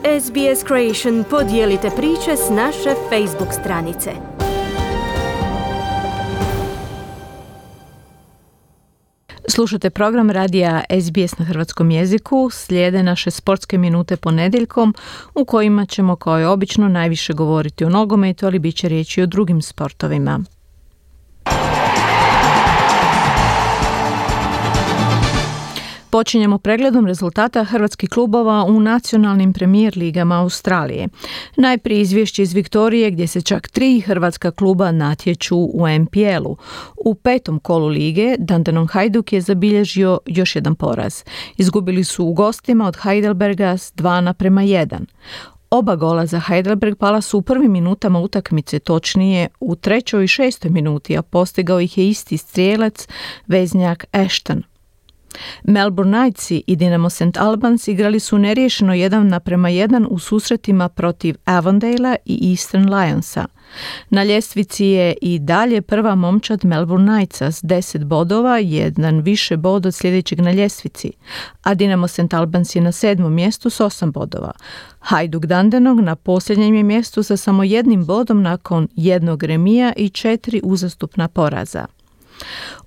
SBS Creation, podijelite priče s naše Facebook stranice. Slušate program radija SBS na hrvatskom jeziku. Slijede naše sportske minute ponedjeljkom u kojima ćemo kao i obično najviše govoriti o nogometu, ali bit će riječi o drugim sportovima. Počinjemo pregledom rezultata hrvatskih klubova u nacionalnim premijer ligama Australije. Najprije izvješće iz Viktorije gdje se čak 3 hrvatska kluba natječu u NPL-u. U 5. kolu lige Dandenong Hajduk je zabilježio još jedan poraz. Izgubili su u gostima od Heidelberga s 2:1. Oba gola za Heidelberg pala su u prvim minutama utakmice, točnije u 3. i 6. minuti, a postigao ih je isti strijelac, veznjak Ashton. Melbourne Knightsi i Dinamo St. Albans igrali su neriješeno 1:1 u susretima protiv Avondale i Eastern Lionsa. Na ljestvici je i dalje prva momčad Melbourne Knightsa s 10 bodova, jedan više bod od sljedećeg na ljestvici, a Dinamo St. Albans je na 7. mjestu s 8 bodova. Hajduk Dandenong na posljednjem je mjestu sa samo 1 bodom nakon 1 remija i 4 uzastopna poraza.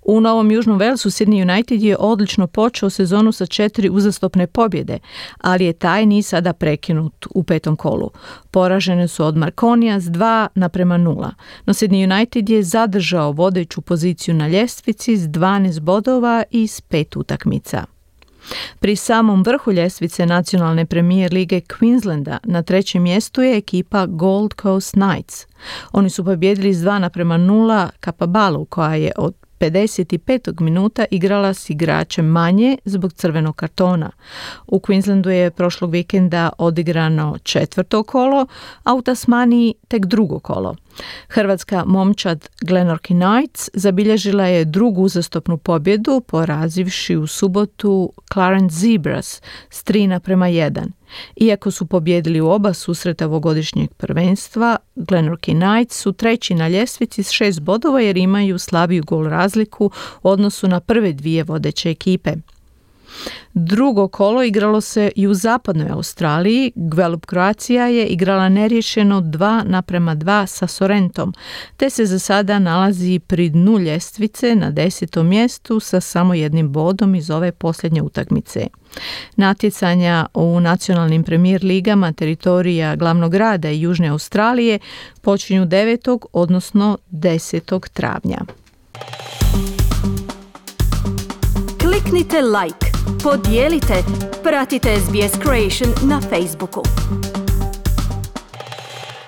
U Novom Južnom Walesu Sydney United je odlično počeo sezonu sa 4 uzastopne pobjede, ali je taj niz sada prekinut u 5. kolu. Poražene su od Marconija s 2:0, no Sydney United je zadržao vodeću poziciju na ljestvici s 12 bodova iz 5 utakmica. Pri samom vrhu ljestvice nacionalne premijer lige Queenslanda na 3. mjestu je ekipa Gold Coast Knights. Oni su pobjedili s 2:0 Kapabalu, koja je od 55. minuta igrala s igračem manje zbog crvenog kartona. U Queenslandu je prošlog vikenda odigrano 4. kolo, a u Tasmaniji tek 2. kolo. Hrvatska momčad Glenorchy Knights zabilježila je 2. uzastopnu pobjedu, porazivši u subotu Clarence Zebras s 3:1. Iako su pobjedili u oba susreta ovogodišnjeg prvenstva, Glenorchy Knights su 3. na ljestvici s 6 bodova jer imaju slabiju gol razliku u odnosu na prve 2 vodeće ekipe. 2. kolo igralo se i u zapadnoj Australiji. Gwelup Croatia je igrala neriješeno 2:2 sa Sorrentom, te se za sada nalazi pri dnu ljestvice na 10. mjestu sa samo 1 bodom iz ove posljednje utakmice. Natjecanja u nacionalnim premijer ligama teritorija glavnog grada i Južne Australije počinju 9. odnosno 10. travnja. Kliknite like, podijelite, pratite SBS Creation na Facebooku.